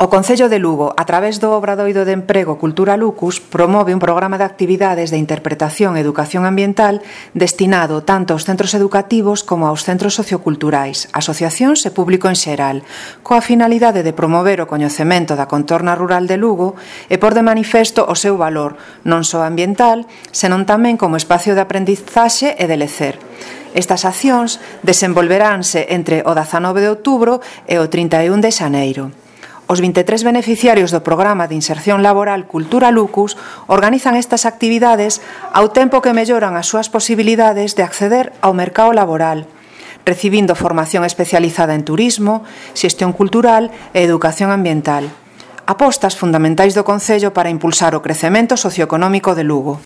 O Concello de Lugo, a través do Obradoiro de Emprego Cultura Lucus, promove un programa de actividades de interpretación e educación ambiental destinado tanto aos centros educativos como aos centros socioculturais, asociacións e público en xeral, coa finalidade de promover o coñecemento da contorna rural de Lugo e por de manifesto o seu valor, non só ambiental, senón tamén como espacio de aprendizaxe e de lecer. Estas accións desenvolveránse entre o 19 de outubro e o 31 de xaneiro. Os 23 beneficiarios do Programa de Inserción Laboral Cultura Lucus organizan estas actividades ao tempo que melloran as súas posibilidades de acceder ao mercado laboral, recibindo formación especializada en turismo, xestión cultural e educación ambiental. Apostas fundamentais do Concello para impulsar o crecemento socioeconómico de Lugo.